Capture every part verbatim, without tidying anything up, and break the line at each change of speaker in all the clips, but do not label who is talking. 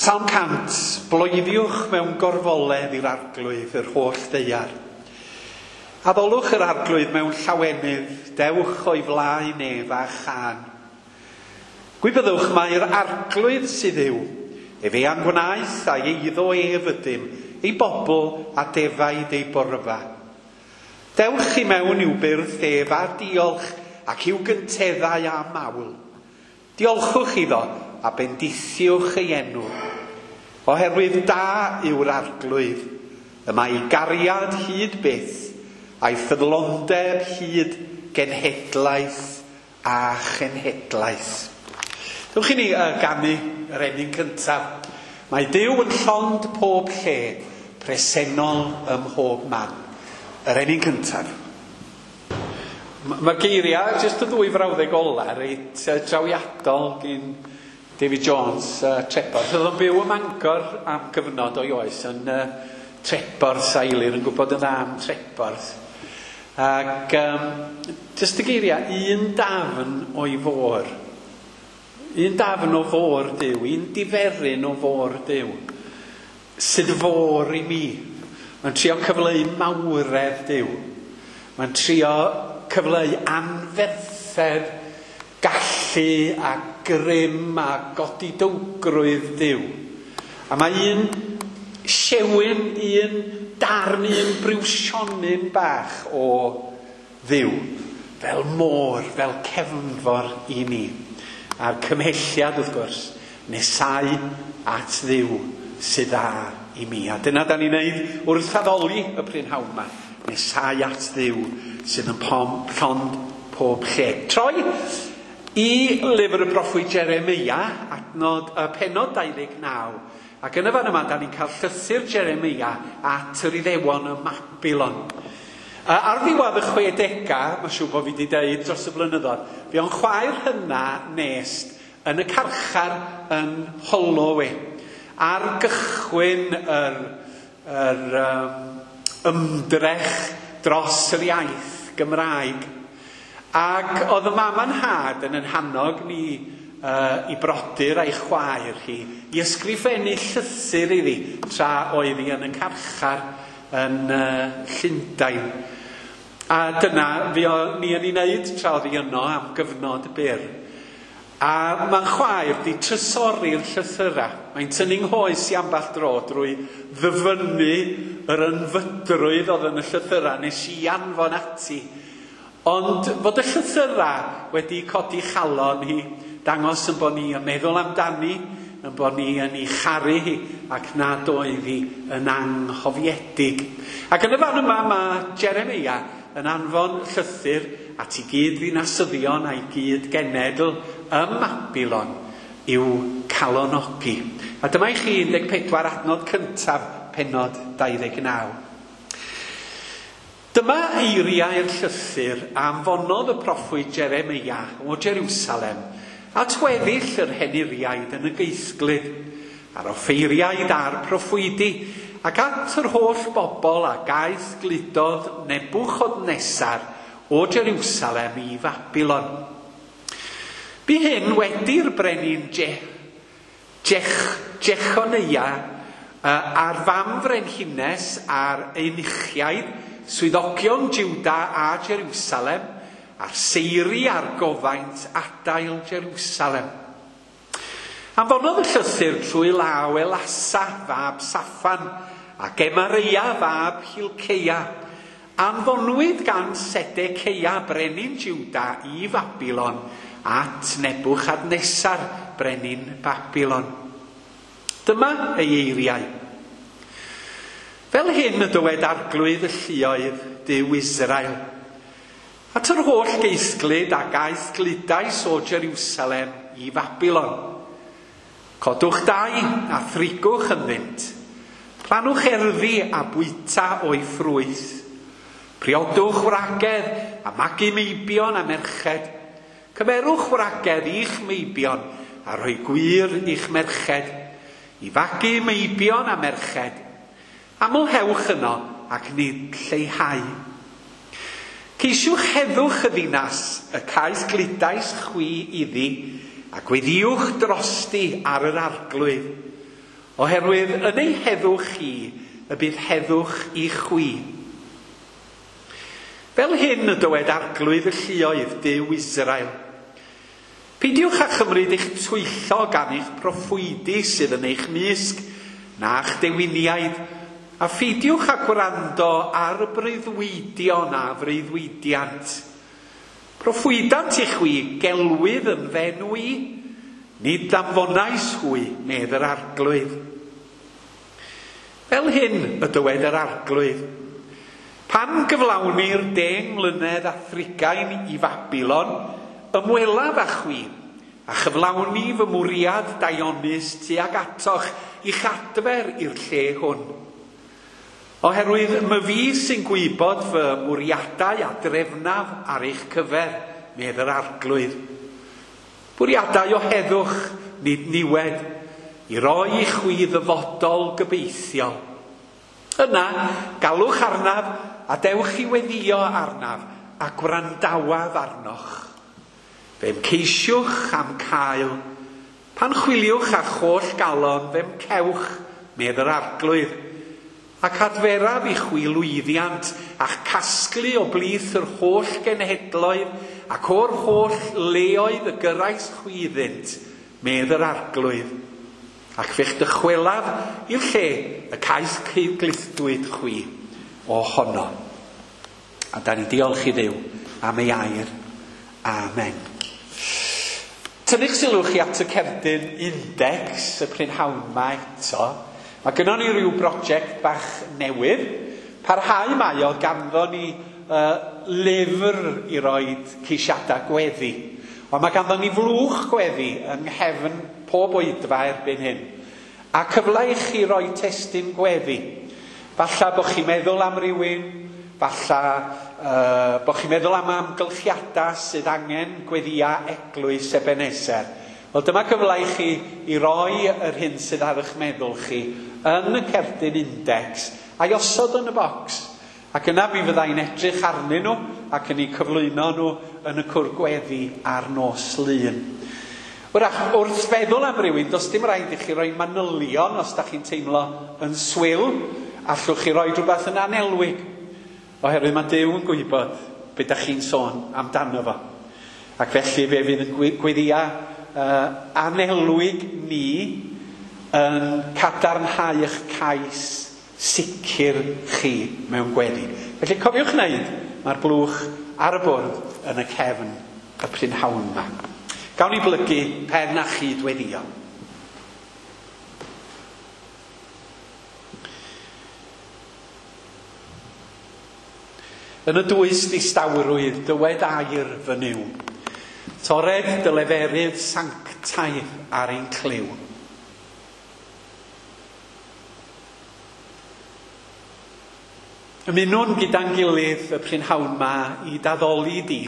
Salm cant, bloeddiwch mewn gorfoledd i'r Arglwydd yr holl ddaear. Addolwch yr Arglwydd mewn llawenydd, dewch o'i flaen ef a chân. Gwybyddwch mai'r Arglwydd sydd yw, efe a'n gwnaeth a'i eiddo ef ydym, ei bobl a defaid ei borfa. Dewch i mewn i'w byrdd ef a diolch ac i'w gynteddau a mawl. Diolchwch iddo a bendithiwch ei enw. Oherwydd da yw'r Arglwydd, y mae ei gariad hyd byth, a'i ffyddlondeb hyd genhedlaeth a chenhedlaeth. Dewch i ni uh, ganu yr emyn cyntaf. Mae Duw yn llond pob lle, presennol ym mhob man. Yr emyn cyntaf. Mae'r geiriau, jyst y ddwy frawddeg ola, reit trawiadol gyn David Jones, uh, Treborth. Oedd o'n byw ym Mangor am gyfnod o'i oes yn uh, Treborth, a Eilir yn gwybod yn dda am Treborth. Ac um, jyst y geiriau, un dafn o'i fôr. Un dafn o fôr Duw, un diferyn o fôr Duw, sydd fôr i mi. Mae'n trio cyfleu mawredd Duw. Mae'n trio cyfleu anferthedd, gallu a grym a godidowgrwydd Duw. A mae un siewyn, un darn, un briwsionyn bach o Dduw, fel môr, fel cefnfor i ni. A'r cymhelliad, wrth gwrs, nesau at Dduw sydd dda i mi. A dyna da ni'n neud wrth addoli y prynhawn yma. Nesau at Dduw sydd yn pom, llond pob lle. Troi i lyfr y proffwyd Jeremia, adnod, y pennod dau ddeg naw. Ac yn y fan yma, da ni'n cael llythyr Jeremia at yr Iddewon ym Mabilon. Ar ddiwedd y chwedegau, mae'n siŵr bod fi wedi deud dros y blynyddoedd, fi o'n chwaer hynna Nest yn y carchar yn Holloway. Ar gychwyn yr, yr um, ymdrech dros yr iaith Gymraeg. Ac oedd y mam a'n nhad yn hannog ni uh, i brodyr a'i chwaer hi i ysgrifennu llythyr iddi tra oedd hi yn y carchar yn uh, Llundain. A dyna fi o, ni yn ei wneud tra oedd hi yno am gyfnod byr. A mae'n chwaer di trysori'r llythyrau. Mae'n tynnu nghoes i ambell dro drwy ddyfynnu yr ynfydrwydd oedd yn y llythyrau nes i anfon ati. Ond fod y llythyrau wedi codi chalon hi, dangos yn bod ni yn meddwl amdani, yn bod ni yn ei charu hi, ac nad oedd hi yn anghofiedig. Ac yn y fan yma mae Jeremia yn anfon llythyr at ei gyd ddinasyddion a'i gyd genedl ym Mabilon i'w calonogi. A dyma i chi un deg pedwar adnod cyntaf pennod dau ddeg naw. Dyma eiriau'r llythyr a anfonodd y proffwyd Jeremia o Jerusalem at weddill yr henuriaid yn y geisglyd, a'r offeiriaid a'r proffwydi, ac at yr holl bobl a gaeth gludodd Nebuchadnesar o Jerusalem i Fabilon. Bu hyn wedi'r brenin Je, Jech, Jechonia a'r fam frenhines a'r eunuchiaid, swyddogion Juda a Jerusalem, a'r seiri a'r gofaint adael Jerusalem. Anfonodd y llythyr trwy law Elasa fab Saffan a Gemareia fab Hilceia. Anfonwyd gan Sedeceia brenin Juda i Fabilon at Nebuchadnesar brenin Babilon. Dyma ei eiriau. Fel hyn y dywed Arglwydd y lluoedd Duw Israel. At yr holl geisglyd a gaeth gludais o Jerusalem i Fabilon. Codwch dai a thrigwch ynddynt. Plannwch erddi a bwyta o'i ffrwyth. Priodwch wragedd a magu meibion a merched. Cymerwch wragedd i'ch meibion a rhoi gwir i'ch merched. I fagu meibion a merched. Amlhewch yno ac nid lleihau. Ceisiwch heddwch y ddinas, y caeth gludais chwi iddi, a gweddïwch drosti ar yr Arglwydd. Oherwydd yn ei heddwch chi y bydd heddwch i chwi. Fel hyn y dywed Arglwydd y lluoedd Duw Israel. Peidiwch â chymryd eich twyllo gan eich proffwydi sydd yn eich mysg, na'ch dewiniaid, a pheidiwch â gwrando ar y breuddwydion a freuddwydiant. Proffwydant i chwi gelwydd yn f'enw i, nid danfonais hwy, medd yr Arglwydd. Fel hyn y dywed yr Arglwydd. Pan gyflawnir deng mlynedd a thrigain i Fabilon, ymwelaf â chwi, a chyflawni fy mwriad daionus tuag atoch i'ch adfer i'r lle hwn. Oherwydd myfi sy'n gwybod fy mwriadau a drefnaf ar eich cyfer, medd yr Arglwydd. Bwriadau o heddwch, nid niwed, i roi i chwi ddyfodol gobeithiol. Yna, galwch arnaf a dewch i weddïo arnaf a gwrandawaf arnoch. Fe'm ceisiwch am cael. Pan chwiliwch â'ch holl galon, fe'm cewch, medd yr Arglwydd. Ac adferaf i chwi lwyddiant a'ch casglu o blith yr holl genhedloedd ac o'r holl leoedd y gyrrais chwi iddynt, medd yr Arglwydd. Ac fe'ch dychwelaf i'r lle y cais gludwyd chwi ohono. A da ni diolch i Dduw am ei air. Amen. Tynnu'ch sylw chi at y cerdyn index y prynhawn 'ma eto. Mae gynnon ni ryw brosiect bach newydd. Parhau mae o, ganddo ni uh, lyfr i roid ceisiadau gweddi. Ond mae ganddo ni flwch gweddi yng nghefn pob oedfa erbyn hyn. A cyfle i chi roi testun gweddi. Falla bod chi'n meddwl am rywun, falla uh, bod chi'n meddwl am amgylchiadau sydd angen gweddia eglwys Ebenezer. Wel, dyma gyfle i chi i roi yr hyn sydd ar eich meddwl chi yn y cerdyn index a'i osod yn y bocs. Ac yna mi fyddai'n edrych arnyn nhw ac yn eu cyflwyno nhw yn y cwr gweddi ar nos Lun. Wrach, wrth feddwl am rywun, does dim rhaid i chi roi manylion os da chi'n teimlo yn swil. Allwch chi roi rhywbeth yn anelwig, oherwydd mae Duw yn gwybod be da chi'n sôn amdano fo. Ac felly fe fydd yn gweddia uh, anelwig ni yn cadarnhau eich cais sicr chi mewn gweddi. Felly cofiwch wneud, mae'r blwch ar y bwrdd yn y cefn y prynhawn yma. Gawn ni blygu pen a chyd-weddïo. Yn y dwys distawrwydd, dywed air fy Nuw. Tored dy leferydd sanctaidd ar ein clyw. Ymunwn gyda'n gilydd y prynhawn 'ma i daddoli di,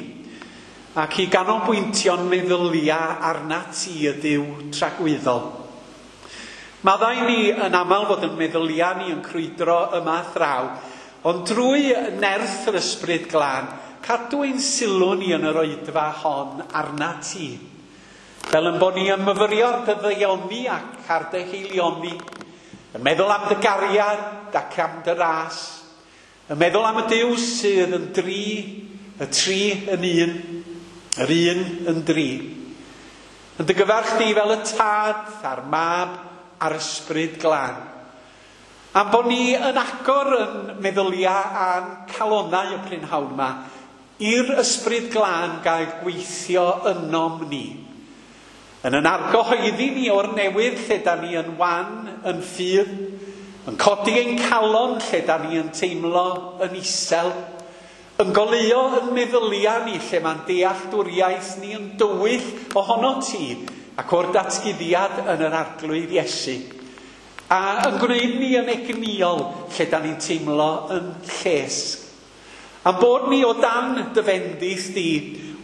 ac i ganolbwyntio'n meddyliau arnat ti y Duw tragwyddol. Maddau ni yn aml fod yn meddyliau ni yn crwydro yma thraw, ond drwy nerth yr Ysbryd Glân, cadw ein sylw ni yn yr oedfa hon arnat ti. Fel yn bod ni yn myfyrio ar dy ddaioni ac ar dy haelioni, yn meddwl am dy gariad ac am dy ras, yn meddwl am y Duw sydd yn dri, y tri yn un, yr un yn dri. Yn dy gyfarch di fel y Tad a'r Mab a'r Ysbryd Glân. Am bod ni yn agor yn meddyliau a'n calonnau y prynhawn yma, i'r Ysbryd Glân gael gweithio ynom ni. Yn yn argyhoeddi ni o'r newydd lle da ni yn wan, yn ffydd, yn codi ein calon lle da ni yn teimlo yn isel, yn goleuo yn meddyliau ni lle mae'n dealltwriaeth ni yn dywyll ohono ti ac o'r datguddiad yn yr Arglwydd Iesu. A yn gwneud ni yn egnïol lle da ni'n teimlo yn llesg. Am bod ni o dan dy fendith di,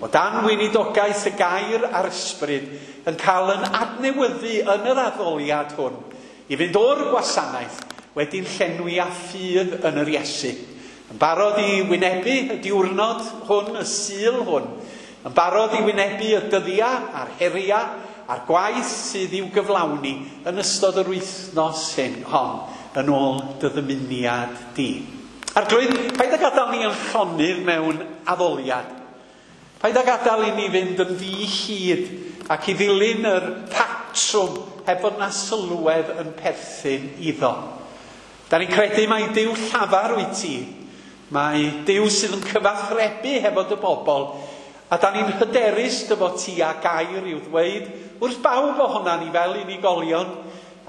o dan weinidogaeth y gair a'r ysbryd, yn cael yn adnewyddu yn yr addoliad hwn, i fynd o'r gwasanaeth wedi'n llenwi â ffydd yn yr Iesu. Yn barod i wynebu y diwrnod hwn, y Sul hwn, yn barod i wynebu y dyddiau a'r heriau a'r gwaith sydd i'w gyflawni yn ystod yr wythnos hyn hon yn ôl dy ddymuniad di. Arglwydd, paid â gadael ni yn llonydd mewn addoliad. Paid â gadael i ni fynd yn ddi-hid ac i ddilyn yr patrwm heb fod na sylwedd yn perthyn iddo. Da ni'n credu mai Duw llafar wyt ti. Mae Duw sydd yn cyfathrebu hefo dy bobl, a da ni'n hyderus dy fod ti a gair i'w ddweud wrth bawb ohona ni fel unigolion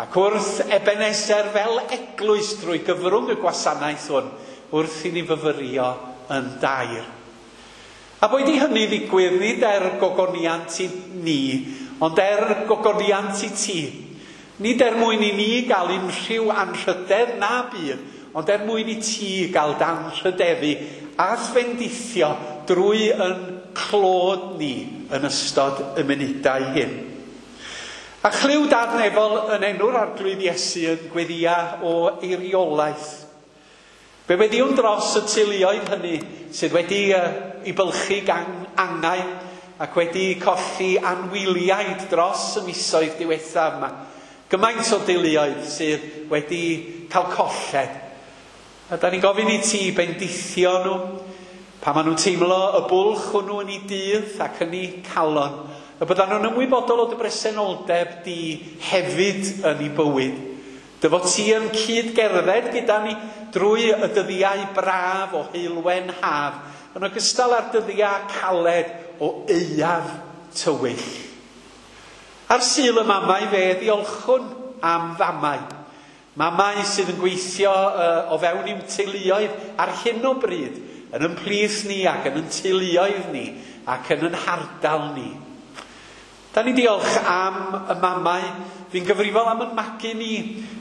ac wrth Ebenezer fel eglwys drwy gyfrwng y gwasanaeth hwn wrth i ni fyfyrio yn dair. A boed i hynny ddigwydd nid er gogoniant i ni, ond er gogoniant i ti. Nid er mwyn i ni gael unrhyw anrhydedd na byd, ond er mwyn i ti gael danrhydeddu a fendithio drwy yn clod ni yn ystod y munudau hyn. A chlyw Dad nefol yn enw'r Arglwydd Iesu yn gweddia o eiriolaeth. Fe weddiwn dros y teuluoedd hynny sydd wedi uh, i bylchu gan angau ac wedi colli anwyliaid dros y misoedd diwethaf yma. Gymaint o deuluoedd sydd wedi cael colled. A da ni'n gofyn i ti bendithio nhw, pan maen nhw'n teimlo y bwlch hwnnw yn eu dydd ac yn eu calon, y byddan nhw'n ymwybodol o dy bresenoldeb di hefyd yn eu bywyd. Dy fod ti yn cyd-gerdded gyda ni drwy y dyddiau braf o heulwen haf, yn ogystal â'r dyddiau caled o aeaf tywyll. Ar Sul y Mamau fe ddiolchwn am famau. Mamau sydd yn gweithio uh, o fewn i'w teuluoedd ar hyn o bryd, yn yn plith ni ac yn yn teuluoedd ni ac yn yn hardal ni. Da ni diolch am y mamau fu'n gyfrifol am yn magu ni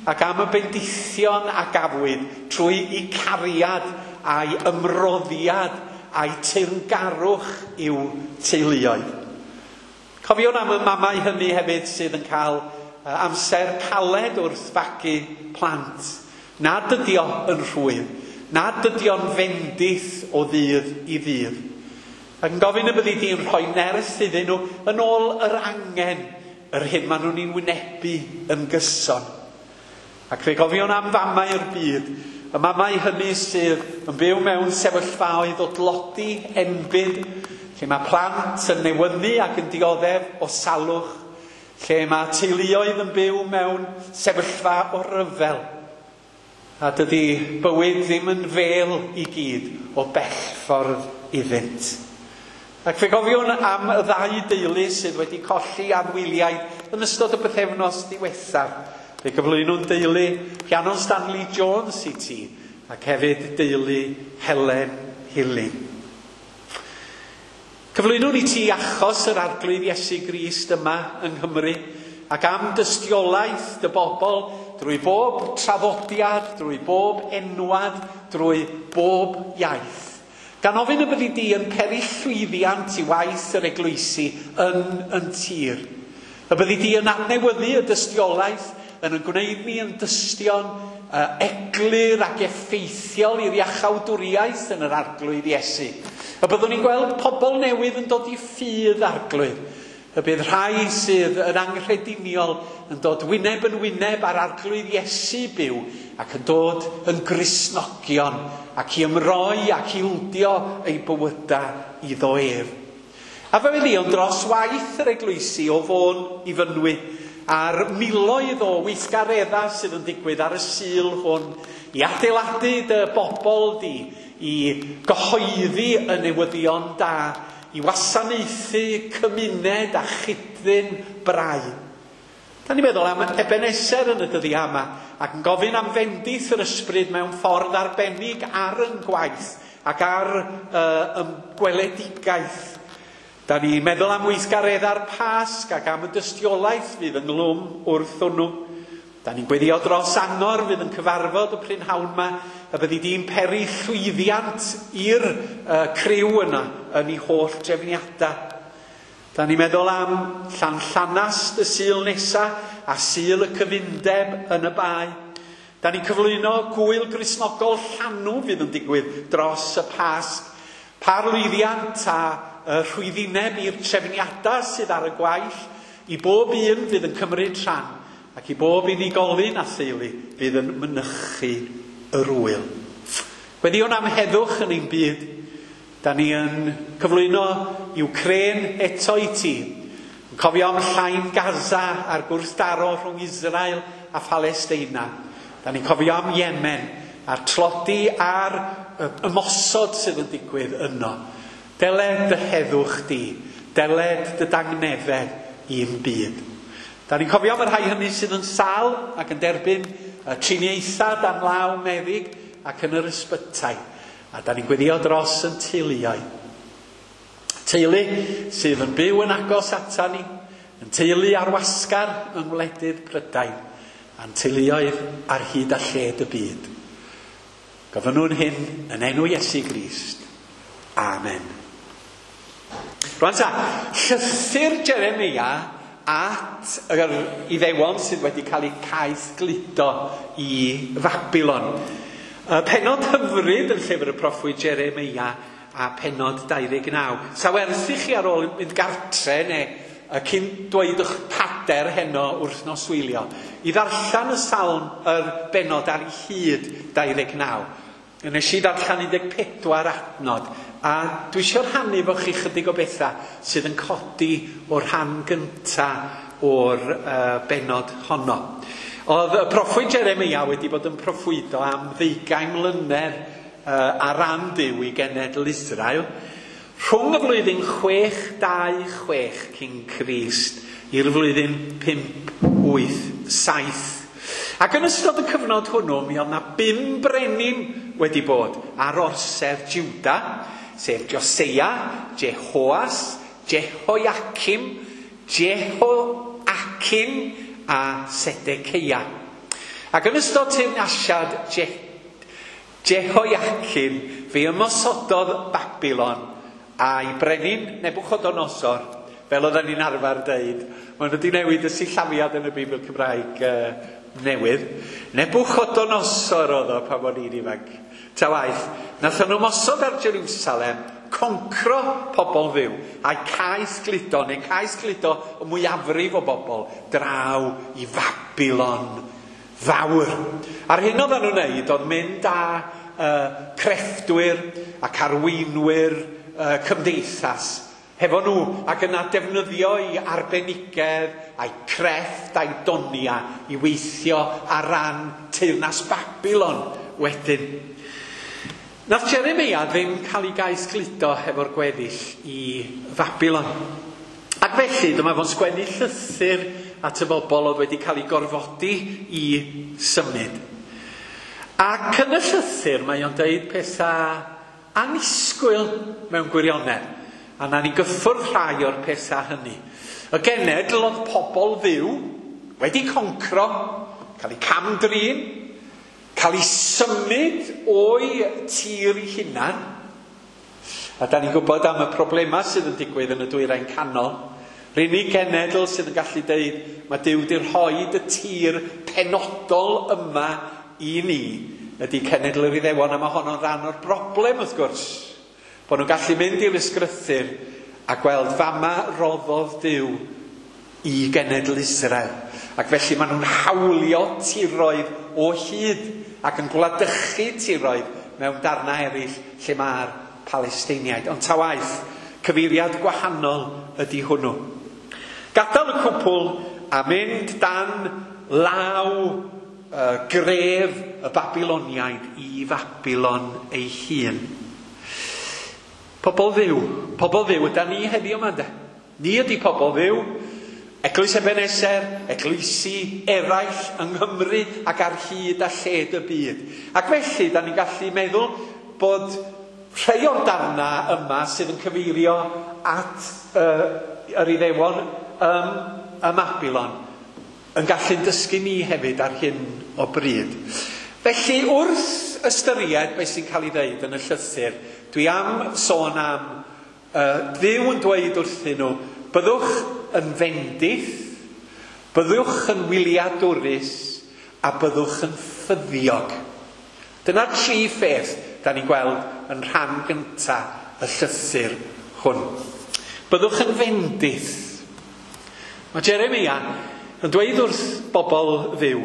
ac am y bendithion a gafwyd trwy eu cariad a'i ymroddiad a'i teyrngarwch i'w teuluoedd. Cofiwn am y mamau hynny hefyd sydd yn cael amser caled wrth fagu plant. Nad ydi o yn rhwydd, nad ydi o'n fendith o ddydd i ddydd. Ac yn gofyn y byddi di'n rhoi nerth iddyn nhw yn ôl yr angen, yr hyn maen nhw'n ei wynebu yn gyson. Ac fe gofiwn am famau'r byd, y mamau hynny sydd yn byw mewn sefyllfaoedd o dlodi enbyd, lle mae plant yn newynnu ac yn dioddef o salwch, lle mae teuluoedd yn byw mewn sefyllfa o ryfel. A dydy bywyd ddim yn fel i gyd o bellffordd iddynt. Ac fe gofiwn am y ddau deulu sydd wedi colli anwyliaid yn ystod y bythefnos diwethaf. Fe gyflwynwn deulu Rhiannon Stanley Jones i ti, ac hefyd deulu Helen Hilling. Cyflwynwn i ti achos yr Arglwydd Iesu Grist yma yng Nghymru, ac am dystiolaeth dy bobl drwy bob traddodiad, drwy bob enwad, drwy bob iaith. Gan ofyn y byddi di yn peri llwyddiant i waith yr eglwysi yn yn tir. Y byddi di yn adnewyddu y dystiolaeth, yn yn gwneud ni yn dystion uh, eglur ac effeithiol i'r iachawdwriaeth yn yr Arglwydd Iesu. Y byddwn ni'n gweld pobl newydd yn dod i ffydd Arglwydd. Y bydd rhai sydd yn anghrediniol yn dod wyneb yn wyneb ar Arglwydd Iesu byw ac yn dod yn Gristnogion ac i ymroi ac i wldio eu bywydau iddo ef. A fe weddiwn dros waith yr eglwysi o Fôn i Fynwy a'r miloedd o weithgareddau sydd yn digwydd ar y Sul hwn i adeiladu dy bobl di, i gyhoeddi y newyddion da, i wasanaethu cymuned a chydddyn brau. Da ni'n meddwl am Ebenezer yn y dyddiau yma ac yn gofyn am fendith yr ysbryd mewn ffordd arbennig ar yn gwaith ac ar uh, gweledigaeth. Da ni'n meddwl am weithgareddau'r Pasg ac am y dystiolaeth fydd ynghlwm wrth hwnnw. Da ni'n gweddio dros angor fydd yn cyfarfod y prynhawn yma, y byddi di'n peri llwyddiant i'r uh, criw yna yn ei holl drefniadau. Da ni'n meddwl am Llanllanast y Sul nesa a Sul y Cyfundeb yn y Bae. Da ni'n cyflwyno gwyl Gristnogol Llanw fydd yn digwydd dros y Pasg. Par lwyddiant a uh, rhwyddineb i'r trefniadau sydd ar y gwaill i bob un fydd yn cymryd rhan ac i bob unigolyn a theulu fydd yn mynychu yr wyl. Gweddïwn am heddwch yn ein byd. Da ni yn cyflwyno Ukraine eto i ti. Yn cofio am llain Gaza a'r gwrthdaro rhwng Israel a Phalesteina. Da ni'n cofio am Yemen a'r tlodi a'r ymosod sydd yn digwydd yno. Deled dy heddwch di, deled dy dangnefedd i'n byd. Da ni'n cofio am y rhai hynny sydd yn sâl ac yn derbyn triniaethau dan law meddyg ac yn yr ysbytai. A da ni'n gweddio dros yn teuluoedd. Teulu sydd yn byw yn agos ata ni, yn teulu ar wasgar yng ngwledydd Prydain, a'n teuluoedd ar hyd a lled y byd. Gofynnwn hyn yn enw Iesu Grist. Amen. Rwan ta, llythyr Jeremia at yr Iddewon sydd wedi cael eu caeth gludo i Fabilon. Y pennod hyfryd yn llyfr y proffwyd Jeremia a pennod dau ddeg naw. Sa werth i chi ar ôl mynd gartre neu cyn dweud eich pader heno wrth noswylio, i ddarllen y salm yr bennod ar ei hyd dau ddeg naw. Nes i ddarllen un deg pedwar adnod, a dwi eisiau rhannu efo chi chydig o bethau sydd yn codi o'r rhan gynta o'r uh, bennod honno. Oedd y proffwyd Jeremia wedi bod yn proffwydo am ddeugain mlynedd uh, ar ran Duw i genedl Israel. Rhwng y flwyddyn chwech dau chwech cyn Crist i'r flwyddyn pump wyth saith. Ac yn ystod y cyfnod hwnnw, mi oedd na bum brenin wedi bod ar orsedd Juda, sef Joseia, Jehoas, Jehoiacim, Jehoiachin a Sedeceia. Ac yn ystod teyrnasiad Je Jehoiacim, fe ymosododd Babilon a'i brenin Nebuchodonosor, fel oedden ni'n arfer deud. Maen nhw wedi newid y sillafiad yn y Beibl Cymraeg uh, newydd. Nebuchodonosor oedd o pan o'n i'n ifanc. Ta waeth, nath nhw ymosod ar Jerusalem, concro pobl fyw, a'i caeth gludo, neu caeth gludo y mwyafrif o bobl, draw i Fabilon fawr. A'r hyn oedden nhw'n neud oedd mynd â uh, crefftwyr ac arweinwyr uh, cymdeithas hefo nhw, ac yna defnyddio i arbenigedd a'i crefft a'i donia i weithio ar ran teyrnas Babilon wedyn. Nath Jeremia ddim cael ei gais gludo hefo'r gweddill i Fabilon. Ac felly dyma fo'n sgwennu llythyr at y bobl oedd wedi cael ei gorfodi i symud. Ac yn y llythyr mae o'n deud pethau annisgwyl mewn gwirionedd. A na ni gyffwrdd rhai o'r pethau hynny. Y genedl oedd pobl fyw wedi concro, cael eu cam-drin, cael eu symud o'i tir ei hunan. A da ni'n gwybod am y problemau sydd yn digwydd yn y dwyrain canol. Yr unig genedl sydd yn gallu deud, mae Duw wedi rhoid y tir penodol yma i ni, ydy cenedl yr Iddewon, a mae honno'n rhan o'r broblem wrth gwrs. Bod nhw'n gallu mynd i'r ysgrythur a gweld fama roddodd Duw i genedl Israel. Ac felly maen nhw'n hawlio tiroedd o hyd ac yn gwladychu tiroedd mewn darnau eraill lle mae'r Palesteiniaid. Ond ta waeth, cyfeiriad gwahanol ydy hwnnw. Gadael y cwpl a mynd dan law uh, gref y Babiloniaid i Fabilon ei hun. Pobl fyw, pobl fyw, yda ni heddiw yma, ynde? Ni ydy pobl fyw, Eglwys Ebenezer, eglwysi eraill yng Nghymru ac ar hyd a lled y byd. Ac felly, da ni'n gallu meddwl bod rhai o'r darnau yma sydd yn cyfeirio at uh, yr Iddewon ym, ym Mabilon yn gallu dysgu ni hefyd ar hyn o bryd. Felly, wrth ystyried beth sy'n cael ei ddeud yn y llythyr, dwi am sôn am uh, Dduw yn dweud wrthyn nhw, byddwch yn fendith, byddwch yn wyliadwrus, a byddwch yn ffyddiog. Dyna'r tri pheth da ni'n gweld yn rhan gynta y llythyr hwn. Byddwch yn fendith. Mae Jeremia yn dweud wrth bobl Dduw,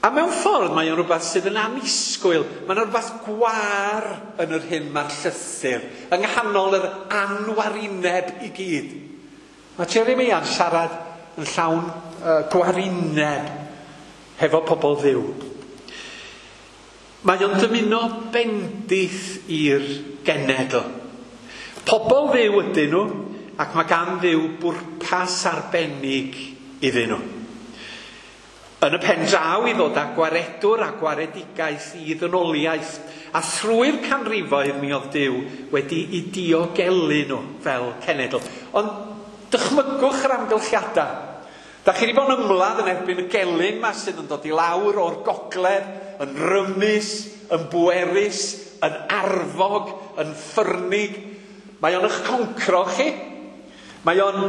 a mewn ffordd mae o'n rhywbeth sydd yn annisgwyl, mae'n rhywbeth gwar yn yr hyn mae'r llythyr, yng nghanol yr anwarineb i gyd. Mae Jeremia'n siarad yn llawn uh, gwarineb hefo pobl Dduw. Mae o'n dymuno bendith i'r genedl. Pobl Dduw ydyn nhw, ac mae gan Dduw bwrpas arbennig iddyn nhw. Yn y pen draw i ddod â gwaredwr a gwaredigaeth i ddynoliaeth, a thrwy'r canrifoedd mi oedd Duw wedi i diogelu nhw fel cenedl. Ond dychmygwch yr amgylchiadau. Da chi wedi bod yn ymladd yn erbyn y gelyn ma sydd yn dod i lawr o'r gogledd, yn rymus, yn bwerus, yn arfog, yn ffyrnig. Mae o'n eich concro chi. Mae o'n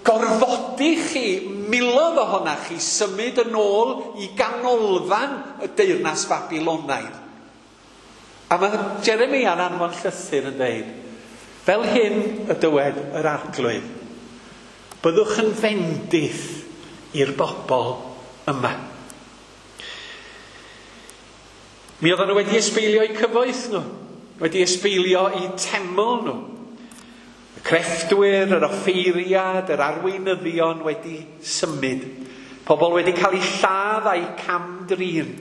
gorfodi chi, miloedd ohonach chi, symud yn ôl i ganolfan y deyrnas Babilonaidd. A mae Jeremia'n anfon llythyr yn dweud, fel hyn y dywed yr Arglwydd, byddwch yn fendith i'r bobl yma. Mi oedden nhw wedi ysbeilio eu cyfoeth nhw, wedi ysbeilio eu teml nhw. Y crefftwyr, yr offeiriad, yr arweinyddion wedi symud. Pobl wedi cael eu lladd a'u cam-drin.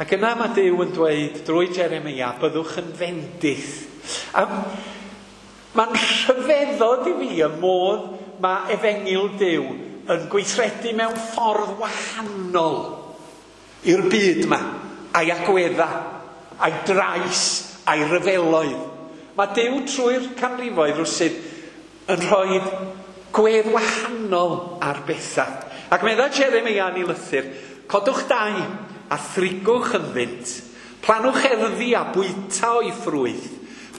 Ac yna mae Duw yn dweud drwy Jeremia, byddwch yn fendith. A mae'n rhyfeddod i fi y modd mae efengyl Duw yn gweithredu mewn ffordd wahanol i'r byd yma, a'i agwedda, a'i drais, a'i ryfeloedd. Mae Duw trwy'r canrifoedd rwsut yn rhoi gwedd wahanol ar bethau. Ac medda Jeremia yn ei lythyr, codwch dai a thrigwch ynddynt, planwch erddi a bwyta o'i ffrwyth,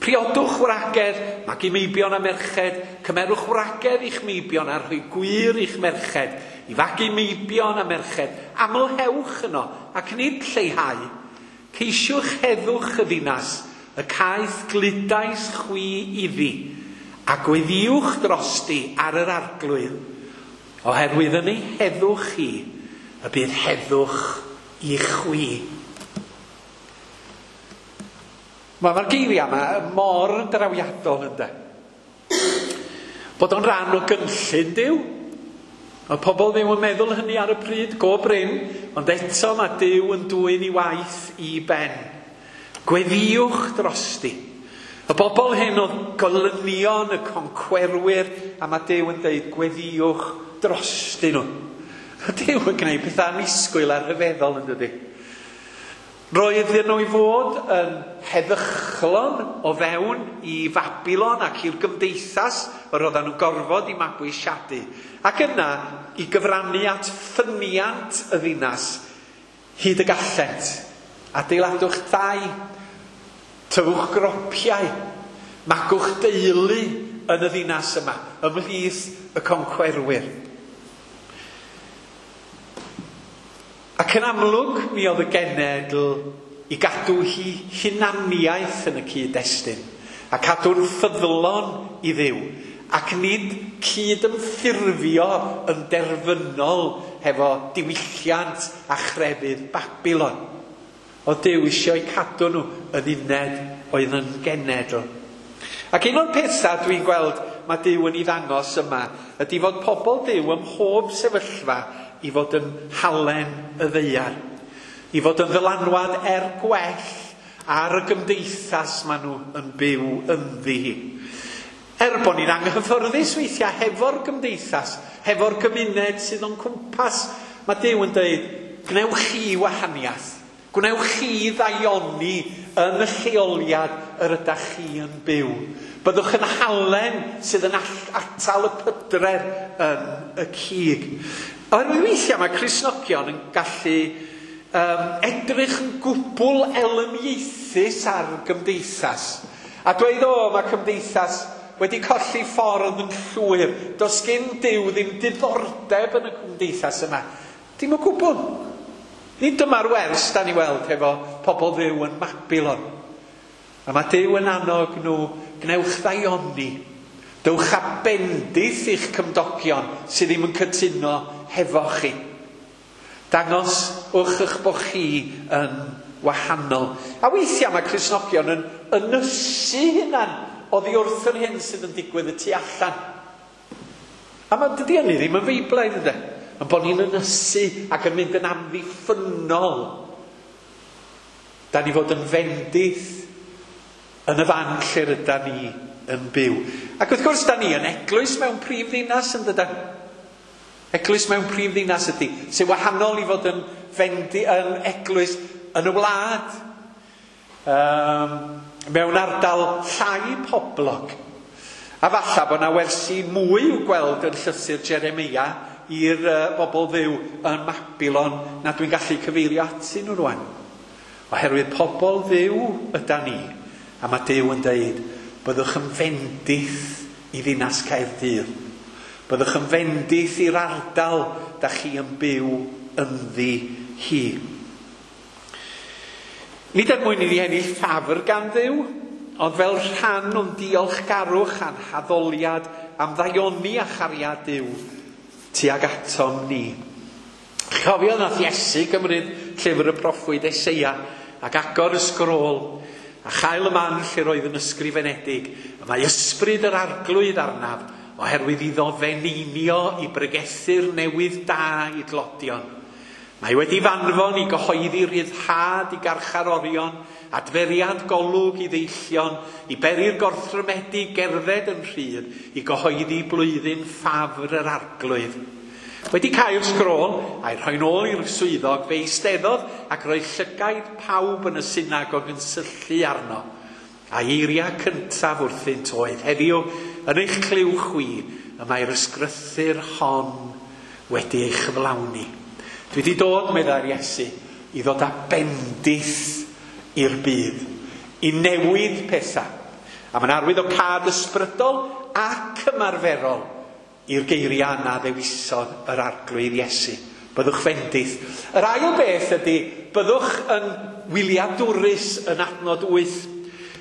priodwch wragedd, magu meibion a merched, cymerwch wragedd i'ch meibion a rhoi gwir i'ch merched, i fagu meibion a merched, amlhewch yno ac nid lleihau. Ceisiwch heddwch y ddinas, y caeth gludais chwi iddi, a gweddiwch drosti ar yr Arglwydd, oherwydd yn ei heddwch chi, y bydd heddwch i chwi. Mae'r geiriau yma mor drawiadol ynde. Bod o'n rhan o gynllun Duw. Mae pobl ddim yn meddwl hynny ar y pryd, go brin, ond eto mae Duw yn dwyn i waith i ben. Gweddiwch drosti. Y bobl hyn oedd golynion, y concwerwyr, a mae Duw yn dweud gweddiwch drosti nhw. Mae Duw yn gwneud pethau annisgwyl a rhyfeddol yn dydi. Roedden nhw i fod yn heddychlon o fewn i Fabilon ac i'r gymdeithas yr oedden nhw'n gorfod i mabwysiadu. Ac yna i gyfrannu at ffyniant y ddinas hyd y gallent. Adeiladwch dai, tyfwch gropiau, magwch deulu yn y ddinas yma, ymhlith y concwerwyr. Ac yn amlwg, mi oedd y genedl i gadw hi hunaniaeth yn y cyd-destun, a cadw'n ffyddlon i Dduw, ac nid cyd-ymffurfio yn derfynol hefo diwylliant a chrefydd Babilon. Oedd Duw eisiau cadw nhw yn uned oedd yn genedl. Ac un o'r pethau dwi'n gweld mae Duw yn ei ddangos yma ydy fod pobl Duw ym mhob sefyllfa i fod yn halen y ddaear, i fod yn ddylanwad er gwell ar y gymdeithas maen nhw yn byw ynddi hi. Er bod ni'n anghyffyrddus weithiau hefo'r gymdeithas, hefo'r gymuned sydd o'n cwmpas, mae Duw yn dweud, gwnewch chi wahaniaeth, gwnewch chi ddaioni yn y lleoliad yr ydych chi yn byw. Byddwch yn halen sydd yn atal y pydredd yn y cig. Oherwydd weithiau mae Cristnogion yn gallu um, edrych yn gwbl elyniaethus ar gymdeithas. A dweud, o, mae cymdeithas wedi colli ffordd yn llwyr. Does gen Duw ddim diddordeb yn y cymdeithas yma. Dim o gwbl. Nid dyma'r wers da ni weld hefo pobl Dduw yn Babilon. A mae Duw yn annog nhw, gwnewch ddaioni. Dewch â bendith i'ch cymdogion sydd ddim yn cytuno hefo chi. Dangoswch eich bod chi yn wahanol. A weithiau mae Cristnogion yn ynysu hunan oddi wrth yr hyn sydd yn digwydd y tu allan. A mae dydy hynny ddim yn feiblaidd, ynddo? Yn bod ni'n ynysu ac yn mynd yn amddiffynnol. Da ni fod yn fendith yn y fan lle rydan ni yn byw. Ac wrth gwrs, da ni yn eglwys mewn prif ddinas, yn dydan? Eglwys mewn prif ddinas ydy, sy'n wahanol i fod yn, fendi, yn eglwys yn y wlad, um, mewn ardal llai poblog. A falle bod yna wersi mwy i'w gweld yn llythyr Jeremia i'r uh, bobl Dduw yn Mabilon na dwi'n gallu cyfeirio atyn nhw rwan. Oherwydd pobl Dduw yda ni, a mae Duw yn deud, byddwch yn fendith i ddinas Caerdydd. Byddwch yn fendith i'r ardal da chi yn byw ynddi hi. Nid er mwyn i ni ennill ffafr gan Dduw, ond fel rhan o'n diolchgarwch a'n haddoliad am ddaioni a chariad Duw tuag atom ni. Chofio nath Iesu gymryd llyfr y proffwyd Eseia ac agor y sgrôl a chael y man lle roedd yn ysgrifenedig. Y mae ysbryd yr arglwydd arnaf, oherwydd iddo feneinio i bregethu'r newydd da i dlodion. Mae wedi fanfon i gyhoeddi rhyddhad i garcharorion, adferiad golwg i ddeillion, i beri'r gorthrymedig gerdded yn rhydd, i gyhoeddi blwyddyn ffafr yr arglwydd. Wedi cael sgrôl, a'i rhoi'n ôl i'r swyddog, fe eisteddodd ac roedd llygaid pawb yn y synagog yn syllu arno. A eiriau cyntaf wrthynt oedd, heddiw, yn eich clyw chwi, y mae'r ysgrythur hon wedi ei chyflawni. Dwi wedi dod, meddai'r Iesu, i ddod â bendith i'r byd, i newid pethau. A mae'n arwydd o cad ysbrydol ac ymarferol i'r geiriau na ddewisodd yr arglwydd Iesu. Byddwch fendith. Yr ail beth ydy, byddwch yn wyliadwrus yn adnod wyth.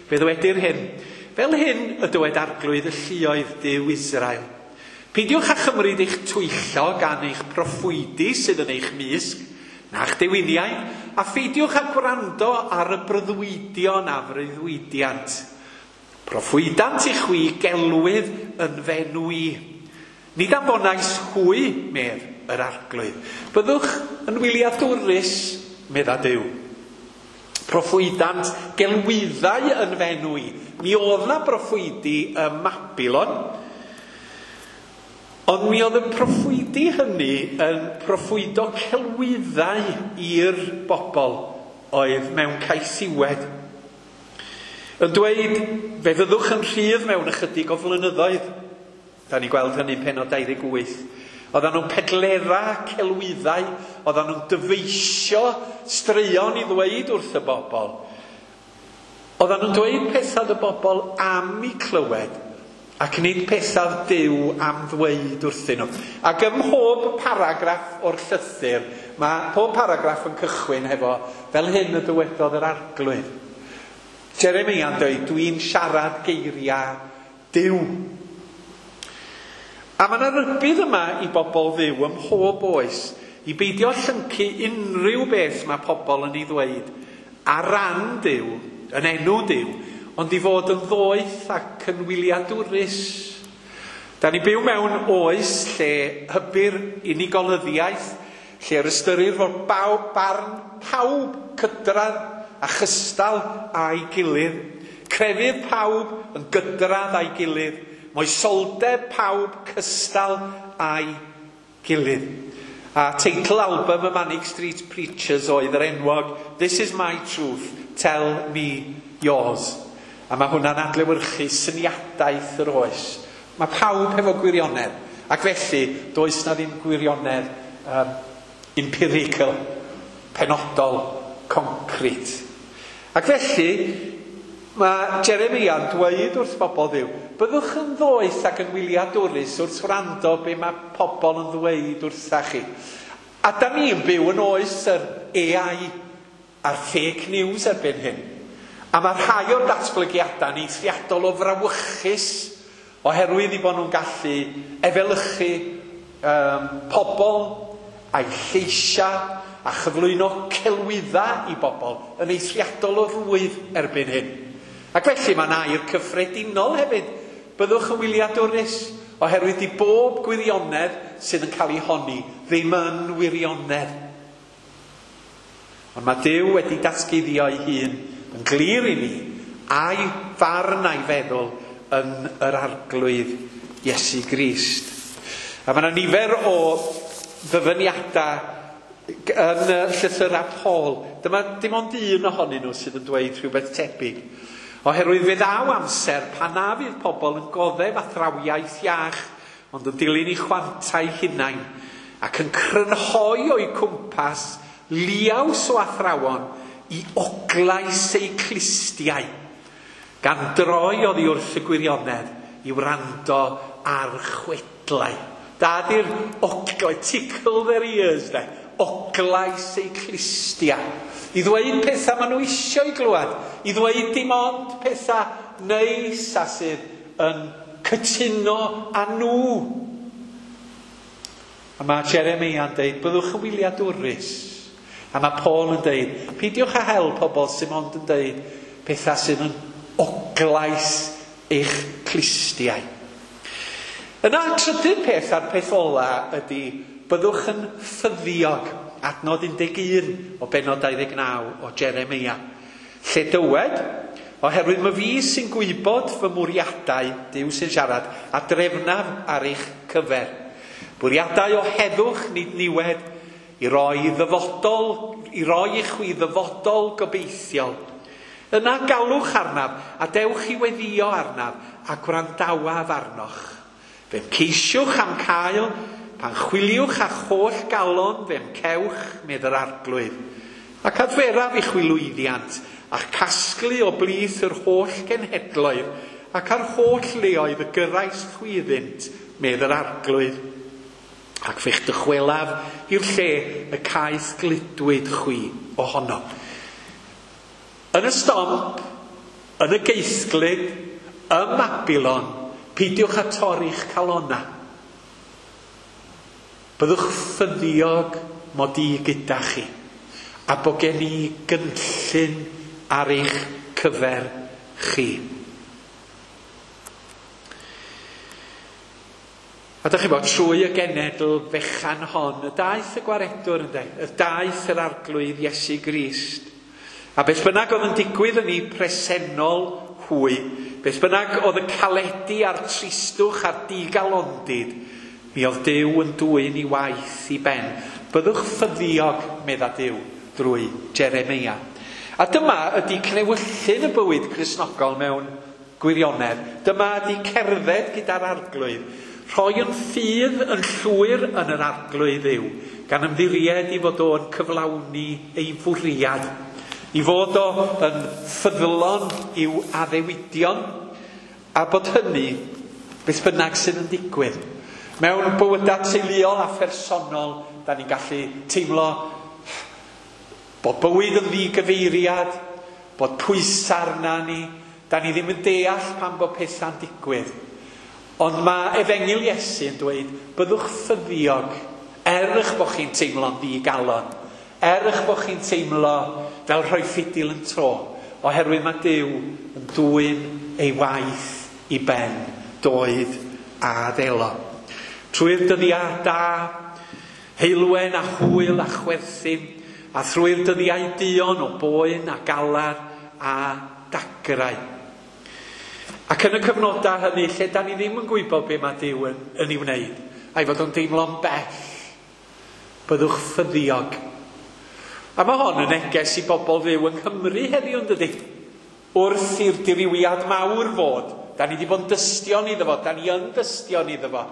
Fe ddywedir hyn. Fel hyn y dywed arglwydd y lluoedd Duw Israel. Peidiwch â chymryd eich twyllo gan eich proffwydi sydd yn eich mysg, na'ch dewiniau, a pheidiwch â gwrando ar y breuddwydion a freuddwydiant. Proffwydant i chwi gelwydd yn fenw i. Nid anfonais hwy, medd yr arglwydd. Byddwch yn wyliadwrus, medda Duw. Proffwydant gelwyddau yn fenw i. Mi oedd na broffwydi ym Mabilon, ond mi oedd y proffwydi hynny yn proffwydo celwyddau i'r bobl oedd mewn caethiwed. Yn dweud, fe fyddwch yn rhydd mewn ychydig o flynyddoedd. Da ni gweld hynny'n pennod dau ddeg wyth. Oedden nhw'n pedlera celwyddau, oedden nhw'n dyfeisio straeon i ddweud wrth y bobl. Oedden nhw'n dweud pethau y bobl am eu clywed, ac nid pethau Duw am ddweud wrthyn nhw. Ac ym mhob paragraff o'r llythyr, mae pob paragraff yn cychwyn hefo, fel hyn y dywedodd yr arglwydd. Jeremia'n dweud, dwi'n siarad geiriau Duw. A mae yna rybudd yma i bobl Dduw ym mhob oes i beidio llyncu unrhyw beth mae pobl yn ei ddweud ar ran Duw, yn enw Duw, ond i fod yn ddoeth ac yn wyliadwrus. Da ni byw mewn oes lle hybu'r unigolyddiaeth, lle yr ystyrir fod bawb, barn pawb cydradd a chystal â'i gilydd, crefydd pawb yn gydradd â'i gilydd, moesoldeb pawb cystal â'i gilydd. A teitl album y Manic Street Preachers oedd yr enwog This is my truth, tell me yours. A mae hwnna'n adlewyrchu syniadaeth yr oes. Mae pawb hefo gwirionedd. Ac felly, does na ddim gwirionedd um, empirical, penodol, concrete. Ac felly, mae Jeremia'n dweud wrth bobl Dduw, byddwch yn ddoeth ac yn wyliadwrus wrth wrando be mae pobl yn ddweud wrtha chi. A da ni'n byw yn oes yr A I a'r fake news erbyn hyn. A mae rhai o'r datblygiadau'n eithriadol o frawychus Oherwydd i bod nhw'n gallu efelychu um, pobl a'i lleisiau a chyflwyno celwydda i bobl yn eithriadol o rwydd erbyn hyn. Ac felly mae'n air cyffredinol hefyd. Byddwch yn wyliadwrus, oherwydd i bob gwirionedd sydd yn cael ei honni ddim yn wirionedd. Ond mae Duw wedi datguddio ei hun yn glir i ni, a'i farn a'i feddwl yn yr Arglwydd Iesu Grist. A mae yna nifer o ddyfyniadau yn y llythyrau Paul. Dyma dim ond un ohonyn nhw sydd yn dweud rhywbeth tebyg. Oherwydd fe ddaw amser pan na fydd pobl yn goddef athrawiaeth iach, ond yn dilyn eu chwantau hunain, ac yn crynhoi o'u cwmpas liaws o athrawon i oglais eu clustiau, gan droi oddi wrth y gwirionedd i wrando ar chwedlau. Da di'r oglau, tickle their ears, de. Oglais eu clustiau. I ddweud pethau maen nhw eisiau i glywed. I ddweud dim ond pethau neis a sydd yn cytuno â nhw. A mae Jeremia yn deud, byddwch yn wyliadwrus. A mae Paul yn deud, peidiwch â hel pobl sydd ond yn deud pethau sydd yn oglais eich clustiau. Yna, trydydd peth a'r peth ola ydy, byddwch yn ffyddiog. Adnod un deg un o bennod dau ddeg naw o Jeremia. Lle dywed, oherwydd mae fi sy'n gwybod fy mwriadau, Duw sy'n siarad, a drefnaf ar eich cyfer. Bwriadau o heddwch nid niwed, i roi ddyfodol, i roi i chwi ddyfodol gobeithiol. Yna galwch arnaf, a dewch i weddio arnaf, a gwrandawaf arnoch. Fe'm ceisiwch am cael, pan chwiliwch â'ch holl galon, fe'm cewch, medd yr Arglwydd. Ac adferaf i chwi lwyddiant, a'ch casglu o blith yr holl genhedloedd, ac ar holl leoedd y gyrrais chwi iddynt, medd yr Arglwydd. Ac fe'ch dychwelaf i'r lle y caeth gludwyd chwi ohono. Yn y stomp, yn y geithglyd, ym Mabilon, peidiwch â torri'ch calona. Byddwch ffyddiog mod i gyda chi, a bod gen i gynllun ar eich cyfer chi. A dych chi'n bod, trwy y genedl fechan hon, y daeth y gwaredwr, ynde, y daeth yr Arglwydd Iesu Grist. A beth bynnag oedd yn digwydd yn ei presennol hwy, beth bynnag oedd y caledu a'r tristwch a'r digalondid, mi oedd Duw yn dwyn i waith i ben. Byddwch ffyddiog, medda Duw, drwy Jeremia. A dyma ydy cnewyllyn y bywyd Cristnogol mewn gwirionedd. Dyma ydy cerdded gyda'r Arglwydd. Rhoi yn ffydd yn llwyr yn yr Arglwydd yw, gan ymddiried i fod o'n cyflawni ei fwriad, i fod o yn ffyddlon i'w addewidion, a bod hynny beth bynnag sydd yn digwydd. Mewn bywydau teuluol a phersonol, da ni'n gallu teimlo bod bywyd yn ddigyfeiriad, bod pwysau arna ni, da ni ddim yn deall pan bod pethau'n digwydd. Ond mae Efengyl Iesu yn dweud, byddwch ffyddiog, er eich bod chi'n teimlo'n ddigalon, er eich bod chi'n teimlo fel rhoi ffidil yn tro, oherwydd mae Duw yn dwyn ei waith i ben, doed a ddelo. Trwy'r dyddiau da, heulwen a hwyl a chwerthin, a thrwy'r dyddiau duon o boen a galar a dagrau. Ac yn y cyfnodau hynny, lle da ni ddim yn gwybod be mae Duw yn, yn ei wneud, a'i fod o'n deimlo'n bell, byddwch ffyddiog. A mae hon yn neges i bobl fyw yng Nghymru heddiw, yn dydi? Wrth i'r dirywiad mawr fod, da ni wedi bod yn dystion iddo fo, da ni yn dystion iddo fo.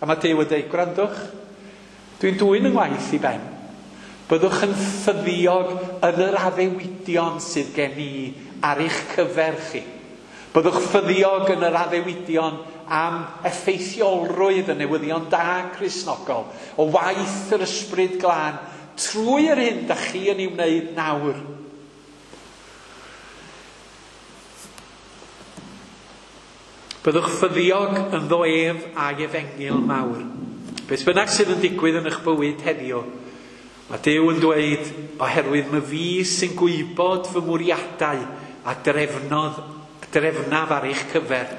A mae Duw yn dweud, gwrandwch, dwi'n dwyn yng ngwaith i ben. Byddwch yn ffyddiog yn yr addewidion sydd gen i ar eich cyfer chi. Byddwch ffyddiog yn yr addewidion am effeithiolrwydd y newyddion da Cristnogol, o waith yr Ysbryd Glân, trwy yr hyn da chi yn ei wneud nawr. Byddwch ffyddiog ynddo ef a'i efengyl mawr. Beth bynnag sydd yn digwydd yn eich bywyd heddiw, mae Duw yn dweud, oherwydd my fi sy'n gwybod fy mwriadau a drefnodd, drefnaf ar eich cyfer.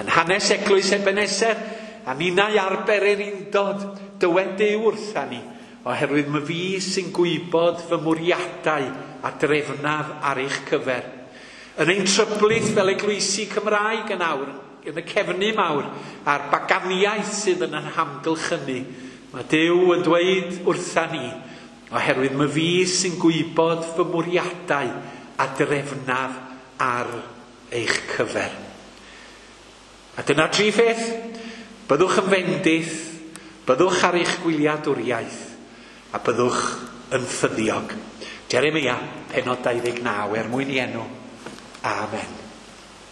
Yn hanes eglwys Ebeneser, a ninnau ar bererindod, dywed Duw wrtha ni, oherwydd my fi sy'n gwybod fy mwriadau a drefnaf ar eich cyfer. Yn ein tryblith fel eglwysi Cymraeg yn awr, yn y cefnu mawr, a'r baganiaeth sydd yn ein hamgylchynu, mae Duw yn dweud wrtha ni, oherwydd my fi sy'n gwybod fy mwriadau a drefnaf ar eich cyfer. A dyna tri pheth. Byddwch yn fendith, byddwch ar eich gwyliadwriaeth, a byddwch yn ffyddiog. Jeremia, pennod dau ddeg naw, er mwyn i enw. Amen.